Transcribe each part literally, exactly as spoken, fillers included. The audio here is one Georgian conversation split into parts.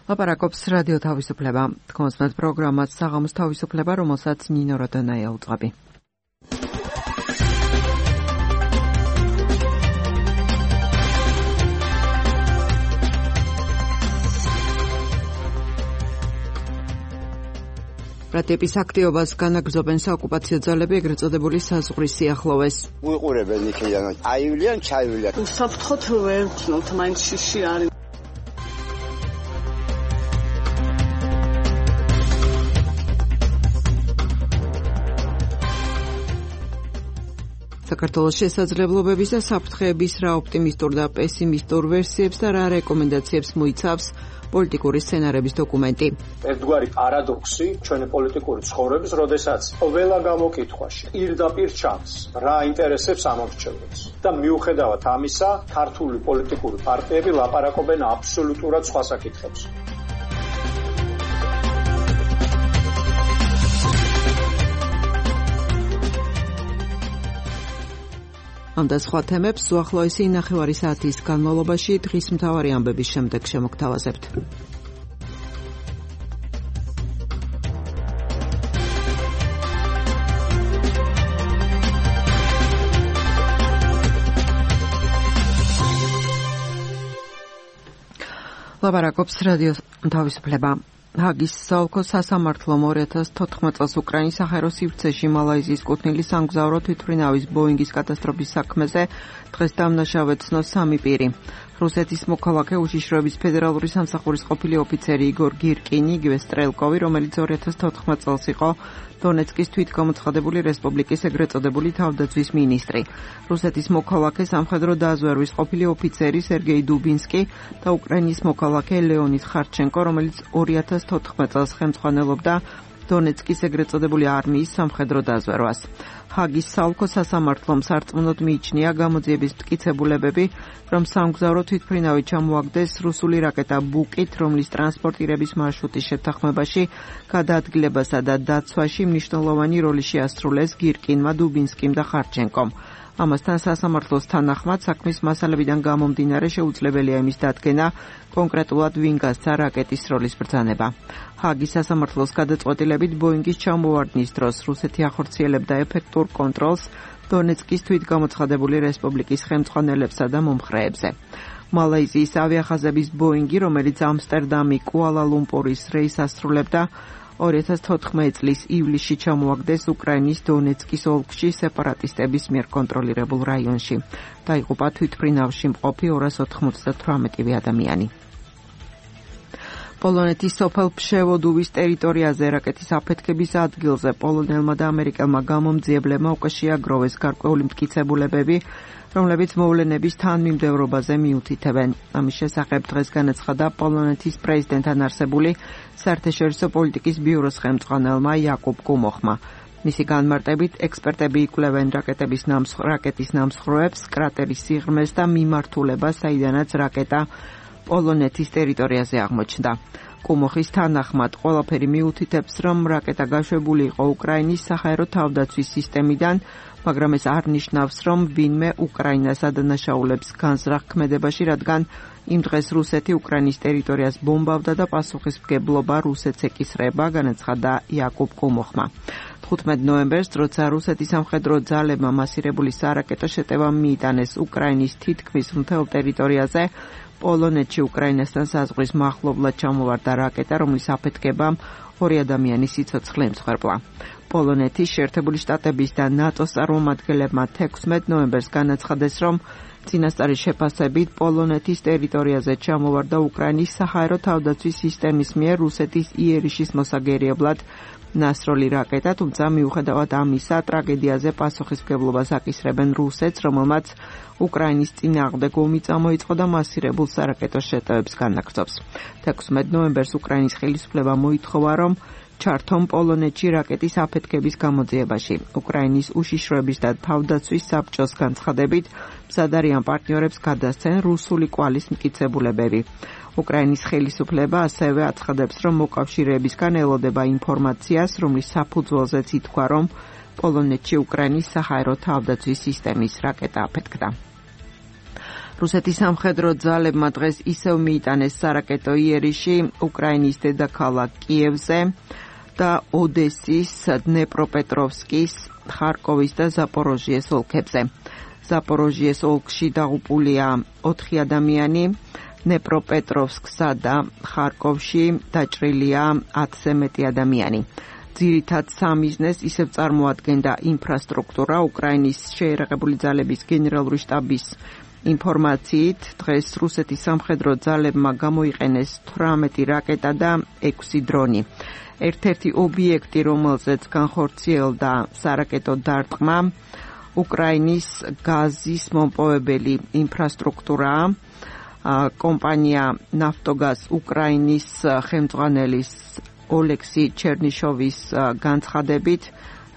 ლაპარაკობს რადიო თავისუფლება. თქოსმეთ პროგრამას საღამოს თავისუფლება, რომელსაც ნინო როდონაია უძღვები. ბრატების აქტივობას განაგრძობენ საოკუპაციო ძალები, ეგრეთ წოდებული საზღვრის სიახლოვეს. უყურებენ იქიდან, აივლიან, ჩაივლიან. უსაფრთხოდ ვერცნობთ, მაინც შიში არის. საქართველოს შესაძლებლობების და საფრთხეების რა ოპტიმისტურ და პესიმისტურ ვერსიებს და რა რეკომენდაციებს მოიცავს პოლიტიკური სცენარების დოკუმენტი. ერთგვარი პარადოქსი ჩვენი პოლიტიკური ცხოვრების, როდესაც ყველა გამოკითხვაში პირდაპირ ჩანს რა ინტერესებს ამორჩევებს და მიუხედავად ამისა, ქართული პოლიტიკური პარტიები ლაპარაკობენ აბსოლუტურად სხვა საკითხებს. ამ და სხვა თემებს უახლოესი ნახევარი საათის განმავლობაში დღის მთავარი ამბების შემდეგ შემოგთავაზებთ. ლაპარაკობს რადიო თავისუფლება. ჰაგის საოლქო სასამართლომ ორი ათას თოთხმეტ წელს უკრაინის საჰაერო სივრცეში მალაიზიის კუთვნილი სამგზავრო თვითმფრინავის ბოინგის კატასტროფის საქმეზე დღეს დამნაშავე ცნო სამი პირი. რუსეთის მოქალაქე უშიშროების ფედერალური სამსახურის ყოფილი ოფიცერი იგორ გირკინი, იგივე სტრელკოვი, რომელიც ორი ათას თოთხმეტ წელს იყო დონეცკის თვითგამოცხადებული რესპუბლიკის ეგრეთ წოდებული თავდაცვის მინისტრი. რუსეთის მოქალაქე სამხედრო დაზვერვის ყოფილი ოფიცერი სერგეი დუბინსკი და უკრაინის მოქალაქე ლეონიდ ხარჩენკო, რომელიც ორი ათას თოთხმეტ წელს ხელმძღვანელობდა დონეცკის ეგრეთ წოდებული არმიის სამხედრო დაზვერვას. ჰაგის საოლქო სასამართლომ სარწმუნოდ მიიჩნია გამოძიების მტკიცებულებები, რომ სამგზავრო თვითმფრინავი ჩამოაგდეს რუსული რაკეტა ბუკით, რომლის ტრანსპორტირების მარშრუტის შეთანხმებაში, გადაადგილებასა და დაცვაში მნიშვნელოვანი როლი შეასრულეს გირკინმა, დუბინსკიმ და ხარჩენკომ. ამასთან სასამართლოს თანახმად საქმის მასალებიდან გამომდინარე შეუძლებელია იმის დადგენა, კონკრეტულად ვინ გასცა რაკეტის როლის ბრძანება. ჰაგის სასამართლოს გადაწყვეტილებით ბოინგის ჩამოვარდნის დროს რუსეთი ახორციელებდა ეფექტურ კონტროლს დონეცკის თვითგამოცხადებული რესპუბლიკის ხელმძღვანელებსა და მომხრეებზე. მალაიზიის ავიახაზების ბოინგი, რომელიც ამსტერდამი კუალა-ლუმპურის რეისს ასრულებდა, ორი ათას თოთხმეტ წლის ივლისში ჩამოაგდეს უკრაინის დონეცკის ოლქში სეპარატისტების მიერ კონტროლირებულ რაიონში. დაიღუპა თვითმფრინავში მყოფი ორას ოთხმოცდათვრამეტი ადამიანი. პოლონეთის სოფელ ფშევოდუვის ტერიტორიაზე რაკეტის აფეთქების ადგილზე პოლონელმა და ამერიკელმა გამომძიებლებმა უკვე შეაგროვეს გარკვეული მტკიცებულებები, რომლებიც მოვლენების თანმიმდევრობაზე მიუთითებენ. ამის შესახებ დღეს განაცხადა პოლონეთის პრეზიდენტთან არსებული საერთაშორისო პოლიტიკის ბიუროს ხელმძღვანელმა იაკუბ კუმოხმა. მისი განმარტებით, ექსპერტები იკვლევენ რაკეტების ნამსხ რაკეტის ნამსხვრევებს, კრატერის სიღრმეს და მიმართულებას, საიდანაც რაკეტა პოლონეთის ტერიტორიაზე აღმოჩნდა. კუმოხის თანახმად, ყველაფერი მიუთითებს, რომ რაკეტა გაშვებული იყო უკრაინის საჰაერო თავდაცვის სისტემიდან, მაგრამ ეს არ ნიშნავს, რომ ვინმე უკრაინას ადანაშაულებს განზრახ ქმედებაში, რადგან იმ დღეს რუსეთი უკრაინის ტერიტორიას ბომბავდა და პასუხისმგებლობა რუსეთს ეკისრება, განაცხადა იაკუბ კუმოხმა. თხუთმეტ ნოემბერს, როცა რუსეთის სამხედრო ძალებმა მასირებული სარაკეტო შეტევა მიიტანეს უკრაინის თითქმის მთელ ტერიტორიაზე, პოლონეთში უკრაინასთან საზღვრის მახლობლად ჩამოვარდა რაკეტა, რომლის აფეთქებამ ორი ადამიანის სიცოცხლე ემსხვერპლა. პოლონეთის შეერთებული შტატების და ნატოს წარმომადგენლებმა თექვსმეტ ნოემბერს განაცხადეს, რომ წინასწარი შეფასებით პოლონეთის ტერიტორიაზე ჩამოვარდა უკრაინის საჰაერო თავდაცვის სისტემის მიერ რუსეთის იერიშის მოსაგერიებლად ნასროლი რაკეტა, თუმცა მიუხედავად ამისა, ტრაგედიაზე პასუხისმგებლობას აკისრებენ რუსეთს, რომელმაც უკრაინის წინააღმდეგ ომი წამოიწყო და მასირებულ სარაკეტო შეტევებს განაგრძობს. თექვსმეტ ნოემბერს უკრაინის ხელისუფლება მოითხოვა, რომ ჩართონ პოლონეთში რაკეტის აფეთქების გამოძიებაში. უკრაინის უშიშროების და თავდაცვის საბჭოს განცხადებით, მზად არიან პარტნიორებს გადასცენ რუსული კვალის მტკიცებულებები. უკრაინის ხელისუფლება ასევე აცხადებს, რომ მოკავშირეებისგან ელოდება ინფორმაციას, რომლის საფუძველზეც ითქვა, რომ პოლონეთში უკრაინის საჰაერო თავდაცვის სისტემის რაკეტა აფეთქდა. რუსეთის სამხედრო ძალებმა დღეს ისევ მიიტანეს სარაკეტო იერიში უკრაინის დედაქალაქ კიევზე და ოდესის, დნეპროპეტროვსკის, ხარკოვის და ზაპოროჟიეს ოლქებზე. ზაპოროჟიეს ოლქში დაღუპულია ოთხი ადამიანი, დნეპროპეტროვსკსა და ხარკოვში დაჭრილია ათზე მეტი ადამიანი. ძირითად სამიზნეს ისევ წარმოადგენდა ინფრასტრუქტურა. უკრაინის შეიარაღებული ძალების გენერალური შტაბის ინფორმაციით, დღეს რუსეთის სამხედრო ძალებმა გამოიყენეს თვრამეტი რაკეტა და ექვსი დრონი. ერთ-ერთი ობიექტი, რომელზეც განხორციელდა სარაკეტო დარტყმა, უკრაინის გაზის მომპოვებელი ინფრასტრუქტურაა. კომპანია ნაფტოგაზ უკრაინის ხელმძღვანელის ოლექსი ჩერნიშოვის განცხადებით,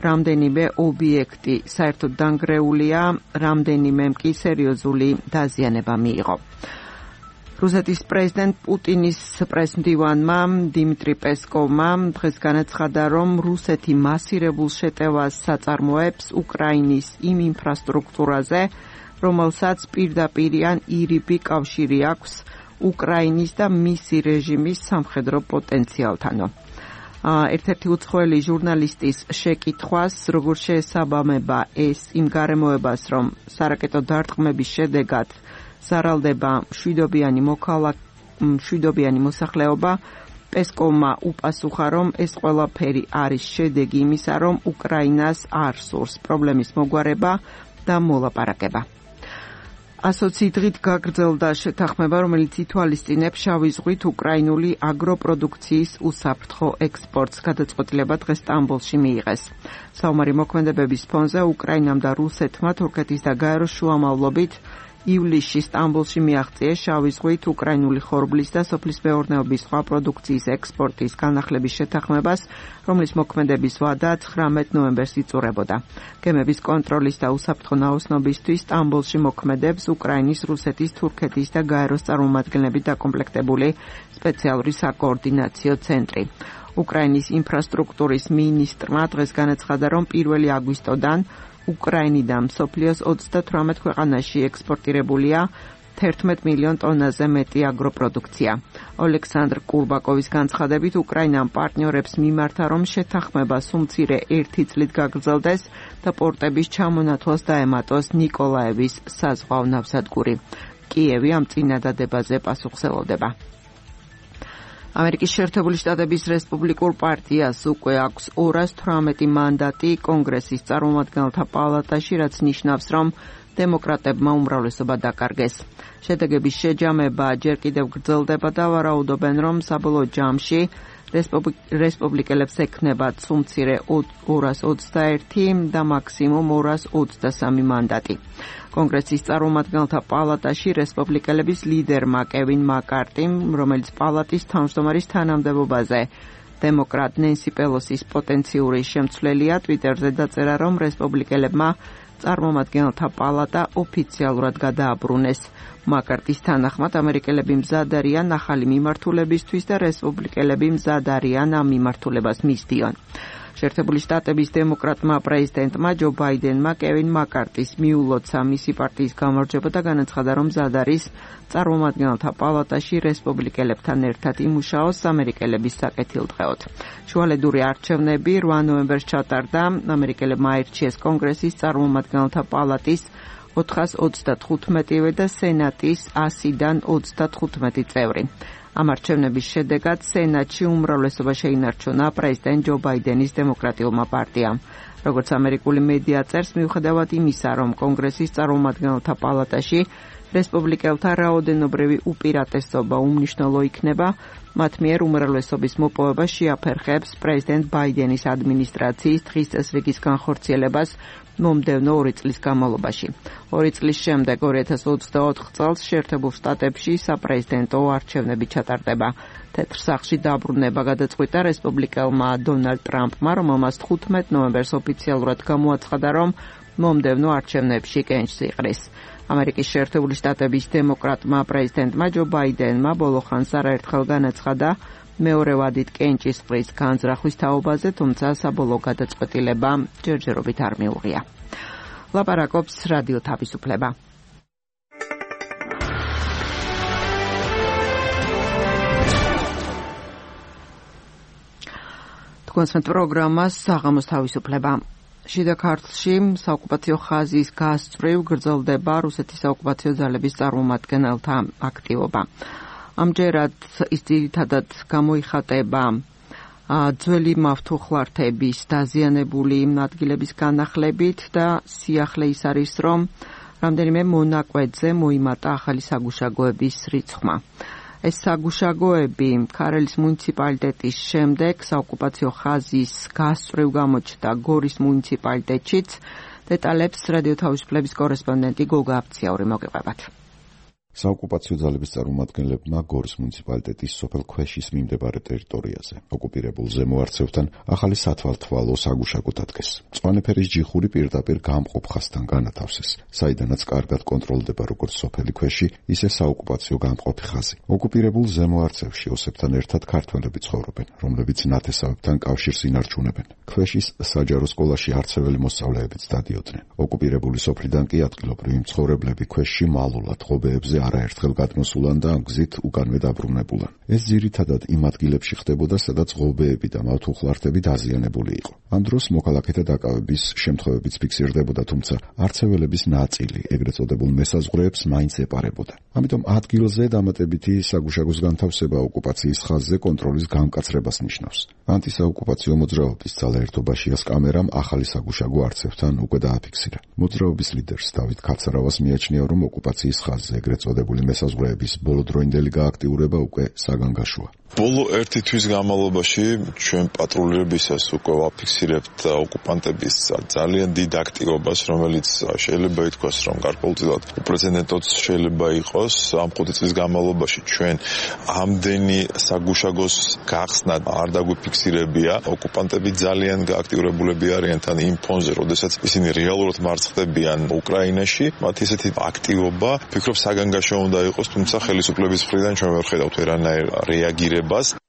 რამდენიმე ობიექტი საერთოდ დანგრეულია, რამდენიმემ კი სერიოზული დაზიანება მიიღო. რუსეთის პრეზიდენტ პუტინის პრესმდივანმა დიმიტრი პესკოვმა დღეს განაცხადა, რომ რუსეთი მასირებულ შეტევას საწარმოებს უკრაინის იმ ინფრასტრუქტურაზე, რომელსაც პირდაპირ ან ირიბი კავშირი აქვს უკრაინის და მისი რეჟიმის სამხედრო პოტენციალთანო. ერთ-ერთი უცხოელი ჟურნალისტის შეკითხვას, როგორ შეესაბამება ეს იმ გარემოებას, რომ სარაკეტო დარტყმების შედეგად ზარალდება მშვიდობიანი მოქალაქე, მშვიდობიანი მოსახლეობა, პესკოვმა უპასუხა, რომ ეს ყველაფერი არის შედეგი იმისა, რომ უკრაინას არ სურს პრობლემის მოგვარება და მოლაპარაკება. ასოცი დღით გაგრძელდა შეთანხმება, რომელიც ითვალისწინებს შავი ზღვით უკრაინული აგროპროდუქციის უსაფრთხო ექსპორტს. გადაწყვეტილება დღეს სტამბოლში მიიღეს. საომარი მოქმედებების ფონზე უკრაინამ და რუსეთმა თურქეთის და გაეროს შუამავლობით ივლისში სტამბოლში მიაღწიეს შავი ზღვით უკრაინული ხორბლის და სოფლის მეურნეობის სხვა პროდუქციის ექსპორტის განახლების შეთანხმებას, რომლის მოქმედების ვადა ცხრამეტ ნოემბერს იწურებოდა. გემების კონტროლის და უსაფრთხო ნაოსნობისთვის სტამბოლში მოქმედებს უკრაინის, რუსეთის, თურქეთის და გაეროს წარმომადგენლებით დაკომპლექტებული სპეციალური საკოორდინაციო ცენტრი. უკრაინის ინფრასტრუქტურის მინისტრმა დღეს განაცხადა, რომ პირველი აგვისტოდან უკრაინიდან მსოფლიოს ოცდათვრამეტ ქვეყანაში ექსპორტირებულია თერთმეტ მილიონ ტონაზე მეტი აგროპროდუქცია. ოლექსანდრ კურბაკოვის განცხადებით, უკრაინამ პარტნიორებს მიმართა, რომ შეთანხმება სულ მცირე ერთი წლით გაგრძელდეს და პორტების ჩამონათვალს დაემატოს ნიკოლაევის საზღვაო ნავსადგური. კიევი ამ წინადადებაზე პასუხს ელოდება. ამერიკის შეერთებული შტატების რესპუბლიკურ პარტიას უკვე აქვს ორას თვრამეტი მანდატი კონგრესის წარმომადგენელთა პალატაში, რაც ნიშნავს, რომ დემოკრატებმა უმრავლესობა დაკარგეს. შედეგების შეჯამება ჯერ კიდევ გრძელდება და ვარაუდობენ, რომ საბოლოო ჯამში რესპუბლიკელებს ექნებათ სულ-მცირე ორას ოცდაერთი და მაქსიმუმ ორას ოცდასამი მანდატი. კონგრესის წარმომადგენელთა პალატაში რესპუბლიკელების ლიდერმა კევინ მაკარტიმ, რომელიც პალატის თავმჯდომარის თანამდებობაზე დემოკრატ ნენსი პელოსის პოტენციური შემცვლელია, ტვიტერზე დაწერა, რომ რესპუბლიკელებმა წარმომადგენელთა პალატა ოფიციალურად გადააბრუნეს. მაკარტის თანახმად, ამერიკელები მზად არიან ახალი მიმართულებისთვის და რესპუბლიკელები მზად არიან ამ მიმართულებას მისდიონ. შეერთებული შტატების დემოკრატმა პრეზიდენტმა ჯო ბაიდენმა კევინ მაკარტის მიულოცა მისი პარტიის გამარჯვება და განაცხადა, რომ მზად არის წარმომადგენელთა პალატაში რესპუბლიკელებთან ერთად იმუშაოს ამერიკელების საკეთილდღეოდ. შუალედური არჩევნები რვა ნოემბერს ჩატარდა. ამერიკელებმა აირჩიეს კონგრესის წარმომადგენელთა პალატის ოთხას ოცდათხუთმეტივე და სენატის ასიდან ოცდათხუთმეტი წევრი. ამ არჩევნების შედეგად სენატში უმრავლესობა შეინარჩუნა პრეზიდენტ ჯო ბაიდენის დემოკრატიულმა პარტიამ. როგორც ამერიკული მედია წერს, მიუხედავად იმისა, რომ კონგრესის წარმომადგენელთა პალატაში რესპუბლიკელთა რაოდენობრივი უპირატესობა უმნიშვნელო იქნება, მათ მიერ უმრავლესობის მოპოვება შეაფერხებს პრეზიდენტ ბაიდენის ადმინისტრაციის დღის წესრიგის განხორციელებას მომდევნო ორი წლის განმავლობაში. ორი წლის შემდეგ, ორი ათას ოცდაოთხ წელს შეერთებულ შტატებში საპრეზიდენტო არჩევნები ჩატარდება. თეთრ სახლში დაბრუნება გადაწყვიტა რესპუბლიკელმა დონალდ ტრამპმა, რომელმაც თხუთმეტ ნოემბერს ოფიციალურად გამოაცხადა, რომ მომდევნო არჩევნებში კენჭს იყრის. ამერიკის შეერთებული შტატების დემოკრატმა პრეზიდენტმა ჯო ბაიდენმა ბოლო ხანს არაერთხელ განაცხადა მეორე ვადით კენჭის ყრის განზრახვის თაობაზე, თუმცა საბოლოო გადაწყვეტილება ჯერჯერობით არ მიუღია. ლაპარაკობს რადიო თავისუფლება. თქვენს პროგრამას საღამოს თავისუფლება. შიდა ქართლში საოკუპაციო ხაზის გასწვრივ გრძელდება რუსეთის საოკუპაციო ძალების წარმომადგენელთა აქტივობა. ამჯერად ის ძირითადად გამოიხატება ძველი მავთუხლართების დაზიანებული ადგილების განახლებით და სიახლე ის არის, რომ რამდენიმე მონაკვეთზე მოიმატა ახალი საგუშაგოების რიცხვმა. ეს საგუშაგოები ქარელის მუნიციპალიტეტის შემდეგ საოკუპაციო ხაზის გასწვრივ გამოჩნდა გორის მუნიციპალიტეტშიც. დეტალებს რადიო თავისუფლების კორესპონდენტი გოგა აფციაური მოგიყვებათ. საოკუპაციო ძალების წარმომადგენლებმა გორის მუნიციპალიტეტის სოფელ ქვეშის მიმდებარე ტერიტორიაზე ოკუპირებულ ზემოარცევთან ახალი სათვალთვალო საგუშაგო დადგეს. მწვანე ფერის ჯიხური პირდაპირ გამყოფ ხაზთან განათავსეს, საიდანაც კარგად კონტროლდება როგორც სოფელი ქვეში, ისე საოკუპაციო გამყოფი ხაზი. ოკუპირებულ ზემოარცევში ოსებთან ერთად ქართველები ცხოვრობენ, რომლებიც ნათესავებთან კავშირს ინარჩუნებენ. ქვეშის საჯარო სკოლაში არცეველი მოსწავლეებიც დადიოდნენ. ოკუპირებული სოფლიდან კი ადგილობრივი მცხოვრებლები ქვეშში მალულად ღობეებზე არაერთხელ გადმოსულან და ამ გზით უკანვე დაბრუნებულან. ეს ძირითადად იმ ადგილებში ხდებოდა, სადაც ღობეები და მავთუხლართები დაზიანებული იყო. ამ დროს მოქალაქეთა დაკავების შემთხვევებიც ფიქსირდებოდა, თუმცა არცეველების ნაწილი ეგრეთ წოდებულ მესაზღვრეებს მაინც ეპარებოდა. ამიტომ ადგილზე დამატებითი საგუშაგოს განთავსება ოკუპაციის ხაზზე კონტროლის გამკაცრებას ნიშნავს. ანტისაოკუპაციო მოძრაობის ძალაერთობაშიას კამერამ ახალი საგუშაგო არცევთან უკვე დააფიქსირა. მოძრაობის ლიდერს დავით ქაცარავას მიაჩნია, რომ ოკუპაციის ხაზზე ეგრეთ წოდებული მესაზღვრეების ბოლოდროინდელი გააქტიურება უკვე საგანგაშოა. ბოლო ერთი თვის განმავლობაში ჩვენ პატრულირებისას უკვე ვაფიქსირებთ ოკუპანტების ძალიან დიდ აქტივობას, რომელიც შეიძლება ითქვას, რომ გარკვეულწილად უპრეცედენტოც შეიძლება იყოს. ამ ხუთი წლის განმავლობაში ჩვენ ამდენი საგუშაგოს გახსნა არ დაგვიფიქსირებია. ოკუპანტები ძალიან გააქტიურებულები არიან თან იმ ფონზე, როდესაც ისინი რეალურად მარცხდებიან უკრაინაში. მათი ესეთი აქტივობა ფიქრობ საგანგაშო უნდა იყოს, თუმცა ხელისუფლების მხრიდან ჩვენ ვერ ხედავთ ვერანაირ რეაგირებას.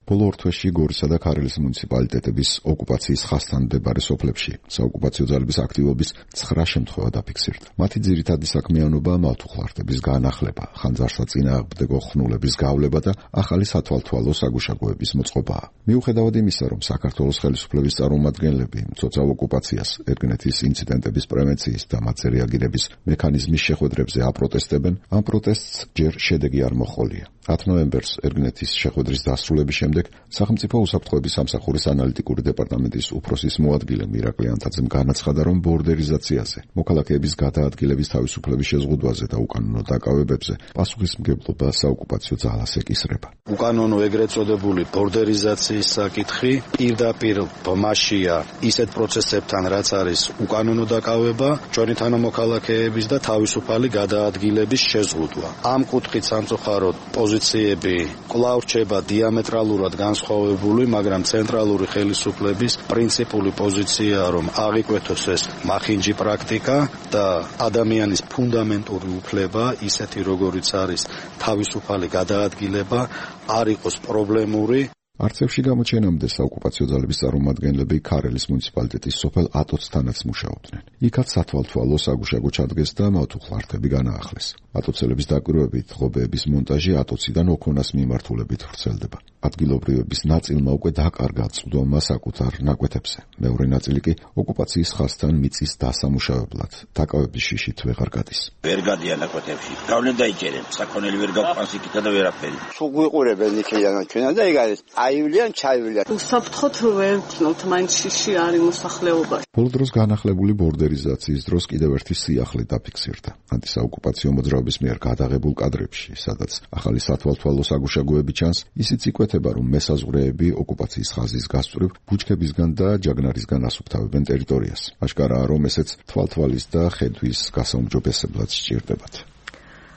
ბოლო ორ თვეში გორისა და ქარელის მუნიციპალიტეტების ოკუპაციის ხაზთან მდებარე სოფლებში საოკუპაციო ძალების აქტივობის ცხრა შემთხვევა დაფიქსირდა. მათი ძირითადი საქმიანობა მავთუხლართების განახლება, ხანძარსაწინააღმდეგო ხნულების გავლება და ახალი სათვალთვალო საგუშაგოების მოწყობაა. მიუხედავად იმისა, რომ საქართველოს ხელისუფლების წარმომადგენლები მცოცავ ოკუპაციას, ერგნეთის ინციდენტების პრევენციის და მათზე რეაგირების მექანიზმის შეხვედრებზე აპროტესტებენ, ამ პროტესტს ჯერ შედეგი არ მოჰყოლია. ათი ნოემბერს ერგნეთის შეხვედრის დასრულების შემდეგ სახელმწიფო უსაფრთხოების სამსახურის ანალიტიკური დეპარტამენტის უფროსის მოადგილე მირაკლი ანთაძემ განაცხადა, რომ ბორდერიზაციაზე, მოქალაქეების გადაადგილების თავისუფლების შეზღუდვაზე და უკანონო დაკავებებზე პასუხისმგებლობა საოკუპაციო ძალას ეკისრება. უკანონო ეგრეთ წოდებული ბორდერიზაციის საკითხი პირდაპირ ბმაშია ისეთ პროცესებთან, რაც არის უკანონო დაკავება, ჩვენი თანამოქალაქეების და თავისუფალი გადაადგილების შეზღუდვა. ამ კუთხით სამწუხაროდ პოზიციები კვლავ რჩება დიამეტრალურად განსხვავებული, მაგრამ ცენტრალური ხელისუფლების პრინციპული პოზიციაა, რომ აღიკვეთოს ეს მახინჯი პრაქტიკა და ადამიანის ფუნდამენტური უფლება, ისეთი როგორიც არის თავისუფალი გადაადგილება, არ იყოს პრობლემური. არცევში გამოჩენამდე საოკუპაციო ძალების წარმომადგენლები ქარელის მუნიციპალიტეტის სოფელ ატოცთანაც მუშაობდნენ. იქაც სათვალთვალო საგუშაგო ჩადგეს და მავთუხლართები განაახლეს. ატოცელების დაკვირვებით ღობეების მონტაჟი ატოციდან ოქონას მიმართულებით ვრცელდება. ადგილობრივების ნაწილმა უკვე დაკარგა წვდომა საკუთარ ნაკვეთებზე. მეორე ნაწილი კი ოკუპაციის ხაზთან მიწის დასამუშავებლად დაკავების შიშით ვეღარ გადის. ვერ გადიან ნაკვეთებში. გავლენ დაიჭერენ, საქონელი ვერ გავყავს იქითა და ვერაფერი. სულ გვიყურებენ იქიდან ჩვენან და ეგ არის აივლიან, ჩაივლიან. უსაფრთხოდ ვერ ვთნოთ, მაინც შიში არის მოსახლეობაში. ბოლო დროს განახლებული ბორდერიზაციის დროს კიდევ ერთი სიახლე დაფიქსირდა. ანტისაოკუპაციო მოძრაობის მიერ გადაღებულ კადრებში, სადაც ახალი სათვალთვალო საგუშაგოები ჩანს, ისიც იკვეთება, რომ მესაზღვრეები ოკუპაციის ხაზის გასწვრივ ბუჩქებისგან და ჯაგნარისგან ასუფთავებენ ტერიტორიას. აშკარაა, რომ ესეც თვალთვალის და ხედვის გასაუმჯობესებლად სჭირდებათ.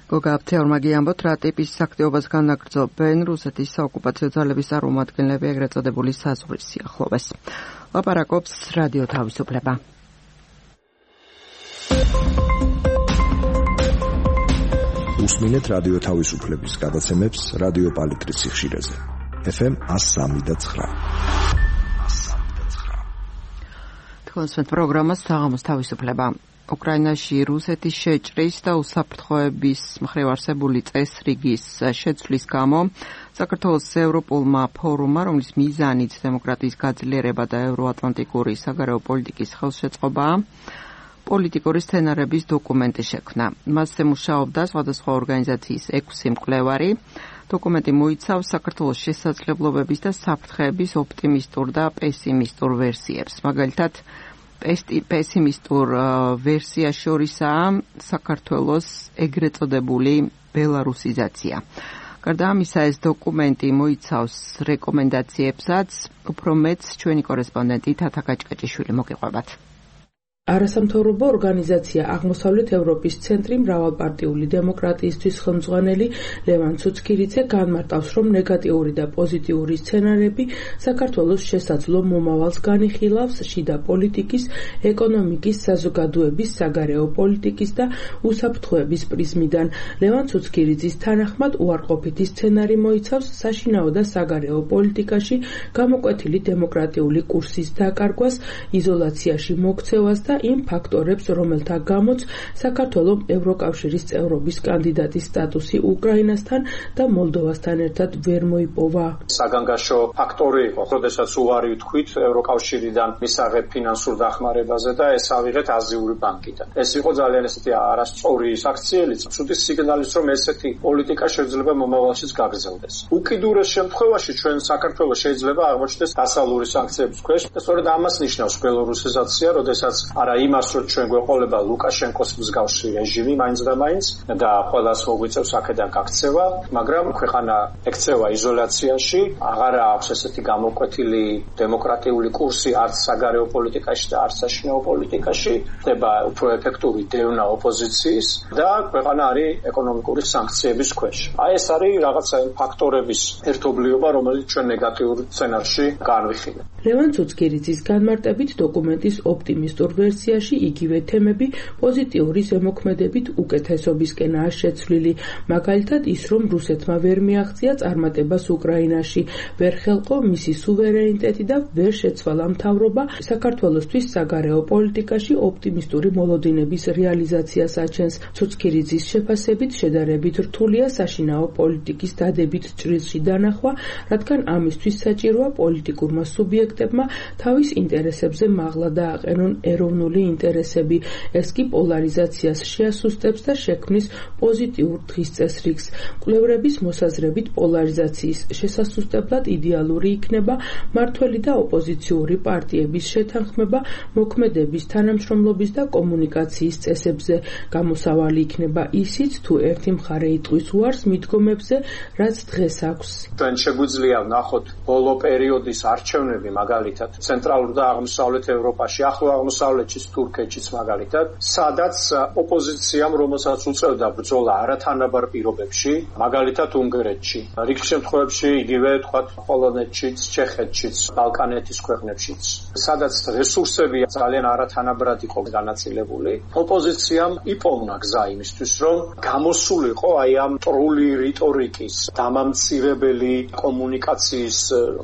გოგა აფციაურმა გიამბოთ, რა ტიპის აქტივობას განაგრძობენ რუსეთის საოკუპაციო ძალების წარმომადგენლები ეგრეთ წოდებული საზღვრის სიახლოვეს. ლაპარაკობს რადიო თავისუფლება. უსმინეთ რადიო თავისუფლების გადაცემებს რადიო პალიტრის სიხშირეზე. ეფ ემ one oh three და nine. თქვენს პროგრამას საღამოს თავისუფლება. უკრაინაში რუსეთის შეჭრის და უსაფრთხოების მხრივ არსებული წესრიგის შეცვლის გამო საქართველოს ევროპულმა ფორუმმა, რომლის მიზანიც დემოკრატიის გაძლიერება და ევროატლანტიკური საგარეო პოლიტიკის ხელშეწყობაა, პოლიტიკური სცენარების დოკუმენტი შექმნა. მასზე მუშაობდა სხვადასხვა ორგანიზაციის ექვსი მკვლევარი. დოკუმენტი მოიცავს საქართველოს შესაძლებლობების და საფრთხეების ოპტიმისტურ და პესიმისტურ ვერსიებს. მაგალითად, პესიმისტურ ვერსია შორისაა საქართველოს ეგრეთ წოდებული ბელარუსიზაცია. გარდა ამისა, ეს დოკუმენტი მოიცავს რეკომენდაციებსაც, უფრო მეტს ჩვენი კორესპონდენტი თათა გაჭკაჭიშვილი მოგიყვებათ. არასამთავრობო ორგანიზაცია აღმოსავლეთ ევროპის ცენტრი მრავალპარტიული დემოკრატიისთვის ხელმძღვანელი ლევან ცუცქირიძე განმარტავს, რომ ნეგატიური და პოზიტიური სცენარები საქართველოს შესაძლო მომავალს განიხილავს შიდა პოლიტიკის, ეკონომიკის, საზოგადოების, საგარეო პოლიტიკის და უსაფრთხოების პრიზმიდან. ლევან ცუცქირიძის თანახმად, უარყოფითი სცენარი მოიცავს საშინაო და საგარეო პოლიტიკაში გამოკვეთილი დემოკრატიული კურსის დაკარგვას, იზოლაციაში მოქცევას და იმ ფაქტორებს, რომელთა გამოც საქართველოს ევროკავშირის წევრობის კანდიდატის სტატუსი უკრაინასთან და მოლდოვასთან ერთად ვერ მოიპოვა. საგანგაშო ფაქტორი იყო, როდესაც უარი ვთქვით ევროკავშირიდან მისაღებ ფინანსურ დახმარებაზე და ეს ავიღეთ აზიური ბანკიდან. ეს იყო ძალიან ესეთი არასწორი საქციელიც, ცუდი სიგნალის, რომ ესეთი პოლიტიკა შეიძლება მომავალშიც გაგრძელდეს. უკიდურეს შემთხვევაში ჩვენ საქართველოს შეიძლება აღმოჩნდეს დასავლური სანქციების ქვეშ და სწორედ ამას ნიშნავს ბელორუსიზაცია, როდესაც არა იმას, რომ ჩვენ გვეყოლება ლუკაშენკოს მსგავსი რეჟიმი მაინც და მაინც და ყველას მოგვიწევს აქედან გაქცევა, მაგრამ ქვეყანა ექცევა იზოლაციაში, აღარა აქვს ესეთი გამოკვეთილი დემოკრატიული კურსი არც საგარეო პოლიტიკაში და არც საშინაო პოლიტიკაში, ხდება უფრო ეფექტური დევნა ოპოზიციის და ქვეყანა არის ეკონომიკური სანქციების ქვეშ. აი ეს არის რაღაცა ფაქტორების ერთობლიობა, რომელიც ჩვენ ნეგატიურ სცენარში განვიხილეთ. ლევან ცუცქირიძის განმარტებით დოკუმენტის ოპტიმისტურ ვერსიაში იგივე თემები პოზიტიური ზემოქმედებით უკეთესობისკენაა შეცვლილი. მაგალითად ის, რომ რუსეთმა ვერ მიაღწია წარმატებას უკრაინაში, ვერ ხელყო მისი სუვერენიტეტი და ვერ შეცვალა მთავრობა საქართველოსთვის საგარეო პოლიტიკაში ოპტიმისტური მოლოდინების რეალიზაციას აჩენს. ცუცქირიძის შეფასებით შედარებით რთულია საშინაო პოლიტიკის დადებით ჭრილში დანახვა, რადგან ამისთვის საჭიროა პოლიტიკურმა სუბიექტებმა თავის ინტერესებზე მაღლა დააყენონ ეროვნული ინტერესები. ეს კი პოლარიზაციას შეასუსტებს და შექმნის პოზიტიურ დღის წესრიგს. მკვლევრების მოსაზრებით პოლარიზაციის შესასუსტებლად იდეალური იქნება მმართველი და ოპოზიციური პარტიების შეთანხმება მოქმედების თანამშრომლობის და კომუნიკაციის წესებზე. გამოსავალი იქნება ისიც, თუ ერთი მხარე იტყვის უარს მიდგომებზე, რაც დღეს აქვს. ჩვენ შეგვიძლია ვნახოთ ბოლო პერიოდის არჩევნები, მაგალითად ცენტრალურ და აღმოსავლეთ ევროპაში, ახლო აღმოსავლეთშიც, თურქეთშიც მაგალითად, სადაც ოპოზიციამ, რომელსაც უწევდა ბრძოლა არათანაბარ პირობებში, მაგალითად უნგრეთში, რიგ შემთხვევებში იგივე თქვათ პოლონეთშიც, ჩეხეთშიც, ბალკანეთის ქვეყნებშიც, სადაც რესურსები ძალიან არათანაბრად იყო განაწილებული, ოპოზიციამ იპოვნა გზა იმისთვის, რომ გამოსულიყო აი ამ ტრული რიტორიკის, დამამცირებელი კომუნიკაციის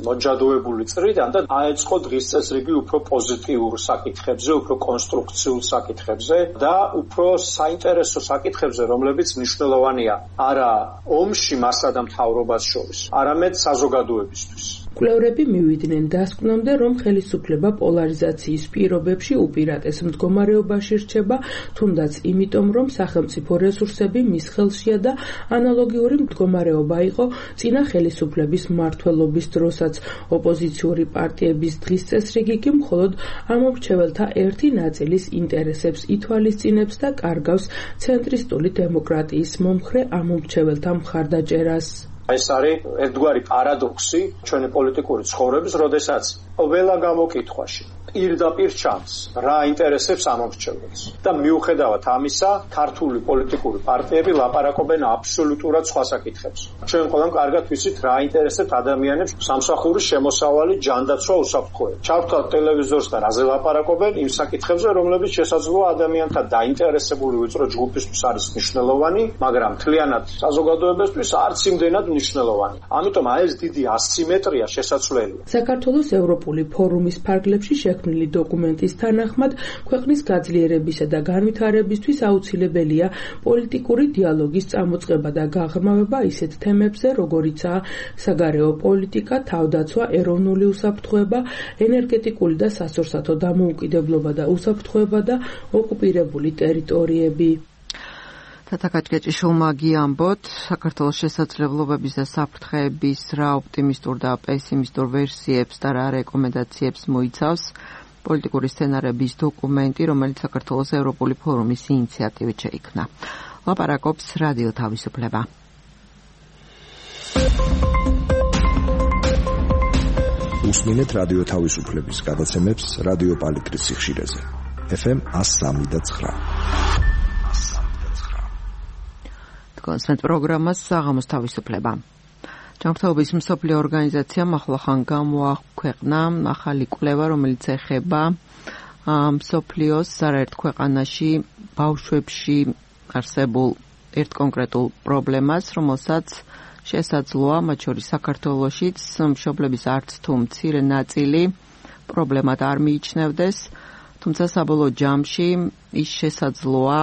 მოჯადოებული წრიდან და აეწყო დღის წესრიგი უფრო პოზიტიურ საკითხებზე, უფრო კონსტრუქციულ საკითხებზე და უფრო საინტერესო საკითხებზე, რომლებიც მნიშვნელოვანია არა ომში მასა და მთავრობას შორის, არამედ საზოგადოებისთვის. მკვლევრები მივიდნენ დასკვნამდე, რომ ხელისუფლება პოლარიზაციის პირობებში უპირატეს მდგომარეობაში რჩება, თუნდაც იმიტომ, რომ სახელმწიფო რესურსები მის ხელშია და ანალოგიური მდგომარეობა იყო წინა ხელისუფლების მმართველობის დროსაც. ოპოზიციური პარტიების დღის წესრიგი კი მხოლოდ ამომრჩეველთა ერთი ნაწილის ინტერესებს ითვალისწინებს და კარგავს ცენტრისტული დემოკრატიის მომხრე ამომრჩეველთა მხარდაჭერას. ეს არის ერთგვარი პარადოქსი ჩვენი პოლიტიკური ცხოვრების, როდესაც ყველა გამოკითხვაში პირდაპირ ჩანს რა ინტერესებს ამომრჩეველს და მიუხედავად ამისა ქართული პოლიტიკური პარტიები ლაპარაკობენ აბსოლუტურად სხვა საკითხებს. ჩვენ ყველამ კარგად ვიცით რა ინტერესებს ადამიანებს სამსახურის შემოსავალი, ჯანდაცვა, უსაფრთხოება. ჩავთვალთ ტელევიზორს და რაზე ლაპარაკობენ იმ საკითხებზე, რომლებიც შესაძლოა ადამიანთა დაინტერესებული ვიწრო ჯგუფისთვის არის მნიშვნელოვანი, მაგრამ მთლიანად საზოგადოებისთვის არც იმდენად მნიშვნელოვანი. ამიტომ აი ეს დიდი ასიმეტრია შესაძლებელია. საქართველოს ევროპული ფორუმის ფარგლებში შექმნილი დოკუმენტის თანახმად, ქვეყნის გაძლიერებისა და განვითარებისთვის აუცილებელია პოლიტიკური დიალოგის წამოწყება და გაღრმავება ისეთ თემებზე, როგორიცაა საგარეო პოლიტიკა, თავდაცვა, ეროვნული უსაფრთხოება, ენერგეტიკული და სასურსათო დამოუკიდებლობა და უსაფრთხოება და ოკუპირებული ტერიტორიები. თათაკაჭკეჭიშვილმა გიამბოთ, საქართველოს შესაძლებლობების და საფრთხეების რა ოპტიმისტურ და პესიმისტურ ვერსიებს და რა რეკომენდაციებს მოიცავს პოლიტიკური სცენარების დოკუმენტი, რომელიც საქართველოს ევროპული ფორუმის ინიციატივით შეიქმნა. ლაპარაკობს რადიო თავისუფლება. უსმინეთ რადიო თავისუფლების გადაცემებს რადიო პალიტრის სიხშირეზე. ეფ ემ one oh three point nine. კონსერტ პროგრამას საღამოს თავისუფლება. ჯანმრთელობის მსოფლიო ორგანიზაციამ ახლახან გამოაქვეყნა ახალი კვლევა, რომელიც ეხება მსოფლიოს არაერთ ქვეყანაში ბავშვებში არსებულ ერთ კონკრეტულ პრობლემას, რომელსაც შესაძლოა მათ შორის საქართველოშიც მშობლების არც თუ მცირე ნაწილი პრობლემად არ მიიჩნევდეს, თუმცა საბოლოო ჯამში ის შესაძლოა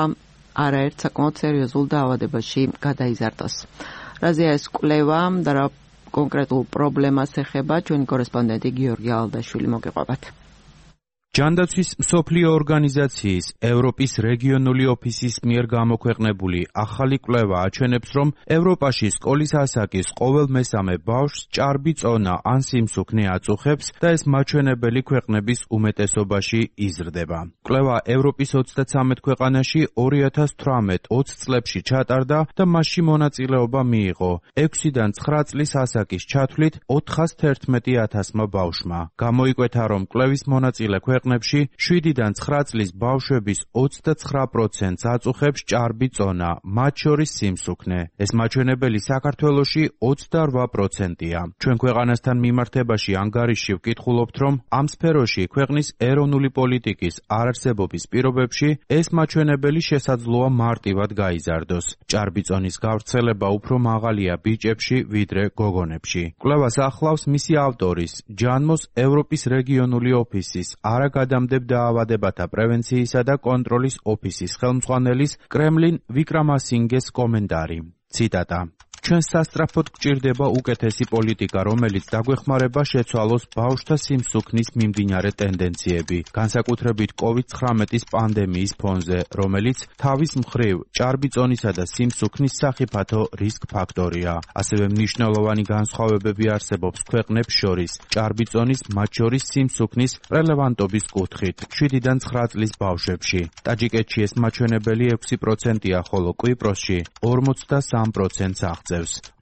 არაერთ საკმაოდ სერიოზულ დაავადებაში გადაიზარდოს. რაზეა ეს კვლევა და რა კონკრეტულ პრობლემას ეხება, ჩვენი კორესპონდენტი გიორგი ალდაშვილი მოგეყვებათ. ჯანდაცვის მსოფლიო ორგანიზაციის ევროპის რეგიონული ოფისის მიერ გამოქვეყნებული ახალი კვლევა აჩვენებს, რომ ევროპაში სკოლის ასაკის ყოველ მესამე ბავშვს ჭარბი წონა ან სიმსუქნე აწუხებს და ეს მაჩვენებელი ქვეყნების უმეტესობაში იზრდება. კვლევა ევროპის ოცდათრამეტ ქვეყანაში ორი ათას თვრამეტ ოცი წლებში ჩატარდა და მასში მონაწილეობა მიიღო ექვსიდან ცხრა წლის ასაკის ჩათვლით ოთხას თერთმეტი ათასმა ბავშვმა. გამოიკვეთა, რომ კვლევის მონაწილე ქვეყნებში შვიდიდან ცხრა წლის ბავშვების ოცდაცხრა პროცენტს აწუხებს ჭარბი წონა, მათ შორის სიმსუქნე. ეს მაჩვენებელი საქართველოში ოცდარვა პროცენტია. ჩვენ ქვეყანასთან მიმართებაში ანგარიშში ვკითხულობთ, რომ ამ სფეროში ქვეყნის ეროვნული პოლიტიკის არარსებობის პირობებში ეს მაჩვენებელი შესაძლოა მარტივად გაიზარდოს. ჭარბი წონის გავრცელება უფრო მაღალია ბიჭებში, ვიდრე გოგონებში. კვლევას ახლავს მისი ავტორის, ჯანმოს ევროპის რეგიონული ოფისის არაგადამდებ დაავადებათა პრევენციისა და კონტროლის ოფისის ხელმძღვანელის კრემლინ ვიკრამასინგეს კომენტარი. ციტატა: ჩვენ სასწრაფოდ გჭირდება უკეთესი პოლიტიკა, რომელიც დაგვეხმარება შეცვალოს ბავშვთა სიმსუქნის მიმდინარე ტენდენციები, განსაკუთრებით კოვიდ ცხრამეტის პანდემიის ფონზე, რომელიც თავის მხრივ ჭარბი წონისა და სიმსუქნის სახიფათო რისკ ფაქტორია. ასევე მნიშვნელოვანი განსხვავებები არსებობს ქვეყნებს შორის, ჭარბი წონის, მათ შორის სიმსუქნის რელევანტობის კუთხით, შვიდიდან ცხრა წლის ბავშვებში. ტაჯიკეთში ეს მაჩვენებელი ექვსი პროცენტია, ხოლო კვიპროსში ორმოცდასამ პროცენტს აღწევს.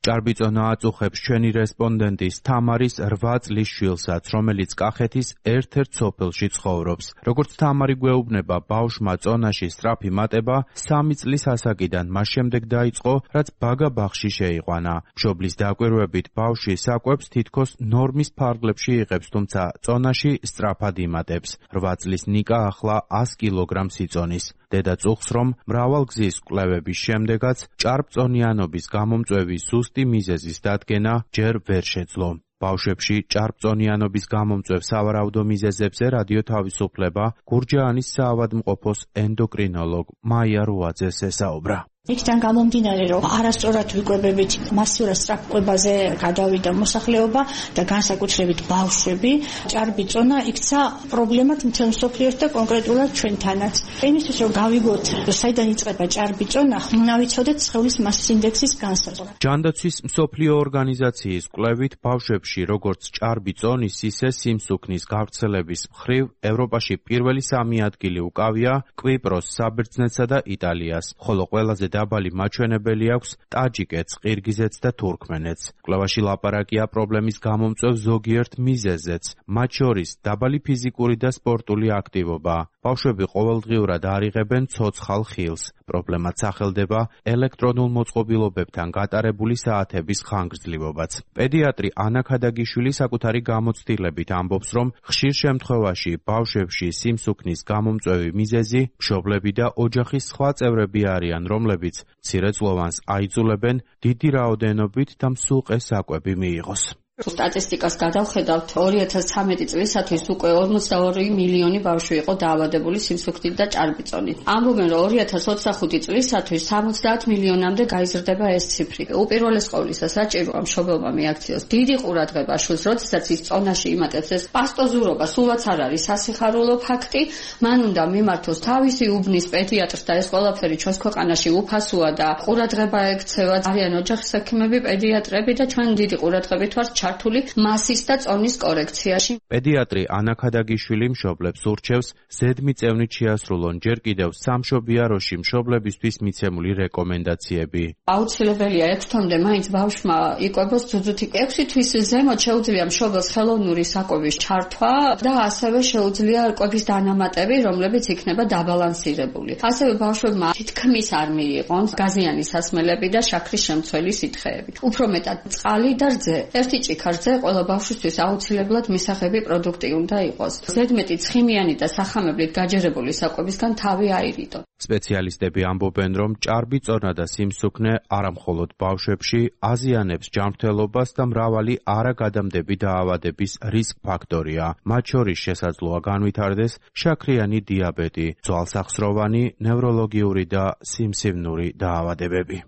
ჭარბი წონა აწუხებს ჩვენი რესპონდენტის თამარის რვა წლის შვილსაც, რომელიც კახეთის ერთ-ერთ სოფელში ცხოვრობს. როგორც თამარი გვეუბნება, ბავშვმა წონაში სწრაფი მატება სამი წლის ასაკიდან მას შემდეგ დაიწყო, რაც ბაგა-ბაღში შეიყვანა. მშობლის დაკვირვებით ბავშვი საკვებს თითქოს ნორმის ფარგლებში იღებს, თუმცა წონაში სწრაფად იმატებს. რვა წლის ნიკა ახლა ას კილოგრამს იწონის. დედა წუხს, რომ მრავალგზის კვლევების შემდეგაც ჭარბწონიანობის გამომწვევი სუსტი მიზეზის დადგენა ჯერ ვერ შეძლო. ბავშვებში ჭარბწონიანობის გამომწვევ სავარაუდო მიზეზებზე რადიო თავისუფლება გურჯაანის საავადმყოფოს ენდოკრინოლოგ მაია რუაძეს ესაუბრა. იქიდან გამომდინარე, რომ არასწორად ვიკვებებით მასიურად სწრაფკვებაზე გადავიდა მოსახლეობა და განსაკუთრებით ბავშვები, ჭარბი წონა იქცა პრობლემად მთელ მსოფლიოში და კონკრეტულად ჩვენთანაც. იმისთვის რომ გავიგოთ, საიდან იწყება ჭარბი წონა, უნდა ვიცოდეთ სხეულის მასის ინდექსის განსაზღვრა. ჯანდაცვის მსოფლიო ორგანიზაციის კვლევით ბავშვებში როგორც ჭარბი წონის, ისე სიმსუქნის გავრცელების მხრივ ევროპაში პირველი სამი ადგილი უკავია კვიპროს, საბერძნეთსა და იტალიას, ხოლო ყველაზე დაბალი მაჩვენებელი აქვს ტაჯიკეთს, ყირგიზეთს და თურქმენეთს. კვლევაში ლაპარაკია პრობლემის გამომწვევ ზოგიერთ მიზეზზეც, მათ შორის დაბალი ფიზიკური და სპორტული აქტივობა. ბავშვები ყოველდღიურად არ იღებენ ცოცხალ ხილს. პრობლემაც სახელდება ელექტრონულ მოწყობილობებთან გატარებული საათების ხანგრძლივობაც. პედიატრი ანა ქადაგიშვილი საკუთარი გამოცდილებით ამბობს, რომ ხშირ შემთხვევაში ბავშვებში სიმსუქნის გამომწვევი მიზეზი მშობლები და ოჯახის სხვა წევრები არიან, რომლებიც მცირეწლოვანს აიძულებენ დიდი რაოდენობით და მსუყე საკვები მიიღოს. სტატისტიკას გადავხედავთ, ორი ათას ცხრამეტი წლისათვის უკვე ორმოცდაორი მილიონი ბავშვი იყო დაავადებული სიმსუქნით და ჭარბიწონით. ამბობენ, რომ ორი ათას ოცდახუთი წლისათვის სამოცდაათ მილიონამდე გაიზრდება ეს ციფრი. უპირველეს ყოვლისა საჭიროა მშობელმა მიაქციოს დიდი ყურადღება შვილს, როდესაც ის წონაში იმატებს ეს პასტოზურობა, სულაც არ არის სასიხარულო ფაქტი, მან უნდა მიმართოს თავისი უბნის პედიატრს და ეს ყველაფერი ჩვენს ქვეყანაში უფასოა და ყურადღება ექცევა. არიან ოჯახის ექიმები, პედიატრები და ჩვენ დიდი ყურადღებით ვართ ჩართული მასის და წონის კორექციაში. პედიატრი ანა ქადაგიშვილი მშობლებს ურჩევს ზედმიწევნით შეასრულონ ჯერ კიდევ სამშობიაროში მშობლებისთვის მიცემული რეკომენდაციები. აუცილებელია ექვს თვემდე მაინც ბავშვმა იკვებოს ძუძუთი. ექვსი თვის ზემოთ შეუძლია მშობელს ხელოვნური საკვების ჩართვა და ასევე შეუძლია კვების დანამატები, რომლებიც იქნება დაბალანსირებული. ასევე ბავშვებმა თითქმის არ მიიღონ გაზიანი სასმელები და შაქრის შემცველი სითხეები. უფრო მეტად წყალი და რძე. ერთი ჭიქარზე ყველა ბავშვისთვის აუცილებლად მისაღები პროდუქტი უნდა იყოს. ზედმეტი ცხიმიანი და სახამებლით გაჯერებული საკვებისგან თავი აირიდონ. სპეციალისტები ამბობენ, რომ ჭარბიწონა და სიმსუქნე არამხოლოდ ბავშვებში აზიანებს ჯანმრთელობას და მრავალი არაგადამდები დაავადების რისკ ფაქტორია. მათ შორის შესაძლოა განვითარდეს შაქრიანი დიაბეტი, ძვალსახსროვანი, ნევროლოგიური და სიმსივნური დაავადებები.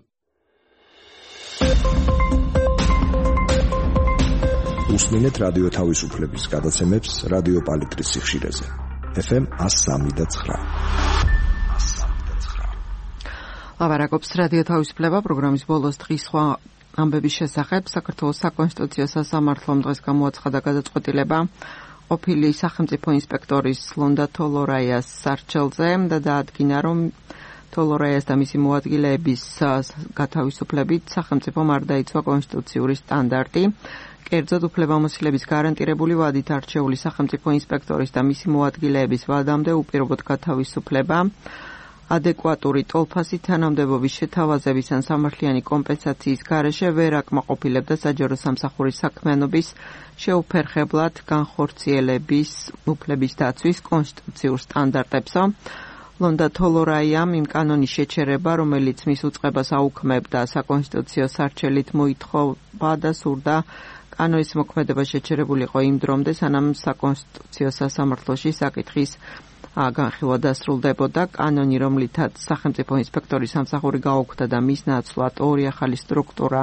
უსმინეთ რადიო თავისუფლების გადაცემებს რადიო პალიტრის სიხშირეზე. ეფ ემ one oh three და nine. ლაბარაკობს რადიო თავისუფლება პროგრამის ბოლოს დღის სხვა ამბების შესახებ. საქართველოს საკონსტიტუციო სასამართლომ დღეს გამოაცხადა გადაწყვეტილება ყოფილი სახელმწიფო ინსპექტორის ლონდა თოლორაიას სარჩელზე და დაადგინა, რომ თოლორაიას და მისი მოადგილეების გათავისუფლებით სახელმწიფომ არ დაიცვა კონსტიტუციური სტანდარტი. კერძოდ უფლებამოსილების გარანტირებული ვადით არჩეული სახელმწიფო ინსპექტორის და მისი მოადგილეების ვადამდე უპირობოდ გათავისუფლება, ადეკვატური ტოლფასი თანამდებობის შეთავაზების ან სამართლიანი კომპენსაციის გარეშე ვერ აკმაყოფილებდა საჯარო სამსახურის საქმიანობის შეუფერხებლად განხორციელების უფლების დაცვის კონსტიტუციურ სტანდარტებსო. ლონდა თოლორაიამ იმ კანონის შეჩერება, რომელიც მის უწყებას აუქმებდა საკონსტიტუციო სარჩელით მოითხოვა და სურდა კანონის მოქმედება შეჩერებულიყო იმ დრომდე, სანამ საკონსტიტუციო სასამართლოში საკითხის განხილვა დასრულდებოდა. კანონი, რომლითაც სახელმწიფო ინსპექტორის სამსახური გაუქმდა და მის ნაცვლად ორი ახალი სტრუქტურა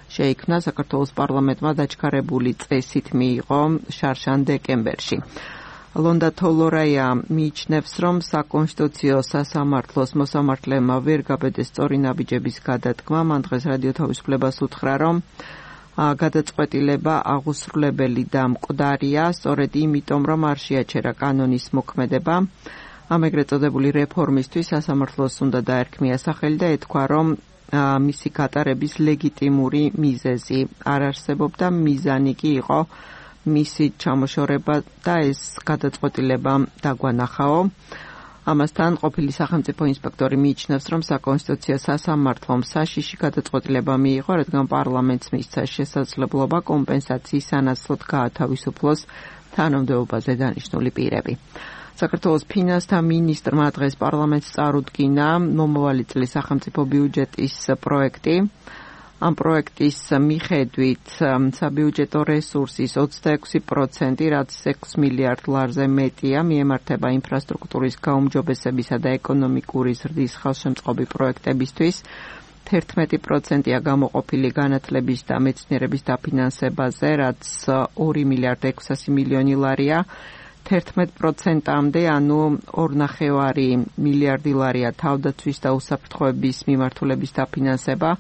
შეიქმნა, საქართველოს პარლამენტმა დაჩქარებული წესით მიიღო შარშან დეკემბერში. ლონდა თოლორაია მიიჩნევს, რომ საკონსტიტუციო სასამართლოს მოსამართლეებმა ვერ გაბედეს სწორი ნაბიჯების გადადგმა. მან დღეს რადიო თავისუფლებას უთხრა, რომ გადაწყვეტილება აღუსრულებელი და მკვდარია, სწორედ იმიტომ, რომ არ შეაჩერა კანონის მოქმედება. ამ ეგრეთ წოდებული რეფორმისთვის სასამართლოს უნდა დაერქმია სახელი და ეთქვა, რომ მისი გატარების ლეგიტიმური მიზეზი არ არსებობდა, მიზანი კი იყო მისი ჩამოშორება და ეს გადაწყვეტილება დაგვანახაო. ამასთან ყოფილი სახელმწიფო ინსპექტორი მიიჩნევს, რომ საკონსტიტუციო სასამართლომ საშიში გადაწყვეტილება მიიღო, რადგან პარლამენტს მისცა შესაძლებლობა კომპენსაციის სანაცვლოდ გაათავისუფლოს თანამდებობაზე დანიშნული პირები. საქართველოს ფინანსთა მინისტრმა დღეს პარლამენტს წარუდგინა მომავალი წლის სახელმწიფო ბიუჯეტის პროექტი. ამ პროექტის მიხედვით საბიუჯეტო რესურსის ოცდაექვსი პროცენტი, რაც ექვს მილიარდ ლარზე მეტია, მიემართება ინფრასტრუქტურის გაუმჯობესებისა და ეკონომიკური ზრდის ხელშემწყობი პროექტებისთვის. თერთმეტი პროცენტია გამოყოფილი განათლების და მეცნიერების დაფინანსებაზე, რაც ორი მილიარდ ექვსასი მილიონი ლარია. თერთმეტ პროცენტამდე, ანუ ორნახევარი მილიარდი ლარია თავდაცვის და უსაფრთხოების მიმართულების დაფინანსება,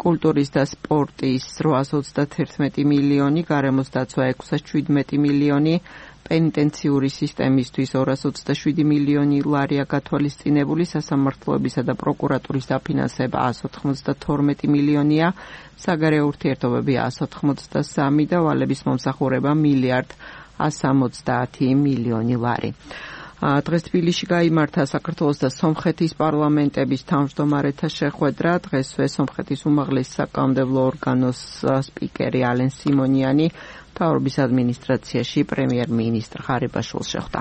კულტურის და სპორტის რვაას ოცდათერთმეტი მილიონი, გარემოს დაცვა ექვსას შვიდმეტი მილიონი, პენიტენციური სისტემისთვის ორას ოცდაშვიდი მილიონი ლარია გათვალისწინებული, სასამართლოებისა და პროკურატურის დაფინანსება ას ოთხმოცდათორმეტი მილიონია, საგარეო ურთიერთობები ას ოთხმოცდასამი და ვალების მომსახურება მილიარდ ას სამოცდაათი მილიონი ლარი. დღეს თბილისში გაიმართა საქართველოს და სომხეთის პარლამენტების თავმჯდომარეთა შეხვედრა. დღესვე სომხეთის უმაღლესი საკანონმდებლო ორგანოს სპიკერი ალენ სიმონიანი მთავრობის ადმინისტრაციაში პრემიერ-მინისტრ ღარიბაშვილს შეხვდა.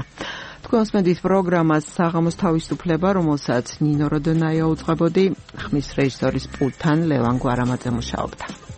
თქვენს მედიის პროგრამას საღამოს თავისუფლება, რომელსაც ნინო როდონაია უძღვებოდი, ხმის რეჟისორის პულტთან ლევან გვარამაძე მუშაობდა.